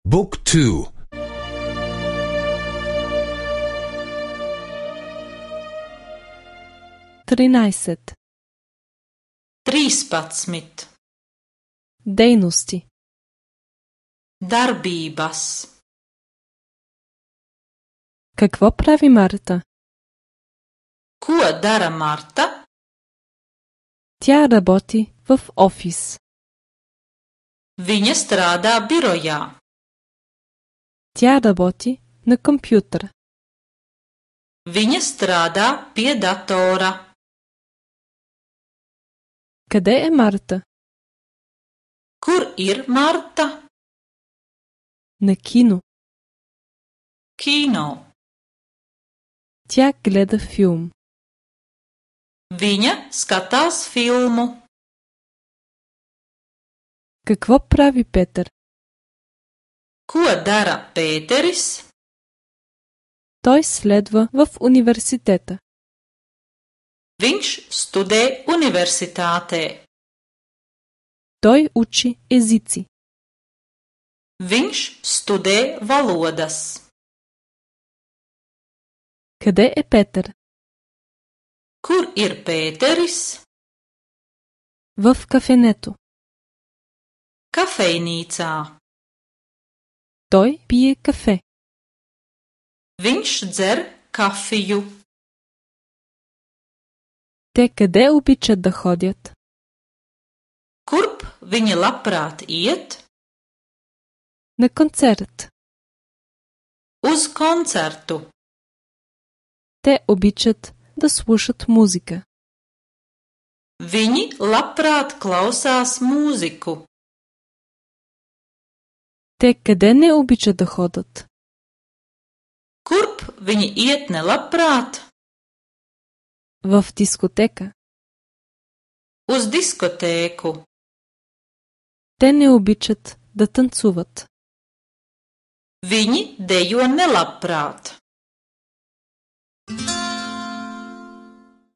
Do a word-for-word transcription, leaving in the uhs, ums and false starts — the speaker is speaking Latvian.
Book two. тринайсет. Trīspadsmit. Дейности. Darbības. Какво прави Марта? Ko dara Marta? Тя работи в офис. Viņa strādā birojā. Тя работи на компютър. Viņa strādā pie datora. Къде е Марта? Kur ir Marta? На кино. Kino. Тя гледа филм. Viņa skatās filmu. Какво прави Петър? Ko dara Pēteris? Той следва в университета. Viņš studē universitātē. Той учи езици. Viņš studē valodas. Къде е Петър? Kur ir Pēteris? В кафенето. Kafejnīcā. Той пие кафе. Viņš dzer kafiju. Те къде обичат да ходят? Kurp viņi labprāt iet? На концерт. Uz koncertu. Те обичат да слушат музика. Viņi labprāt klausās mūziku. Те къде не обичат да ходят? Kurp viņi iet nelabprāt? В дискотека. Uz diskotēku. Те не обичат да танцуват. Viņi dejo nelabprāt.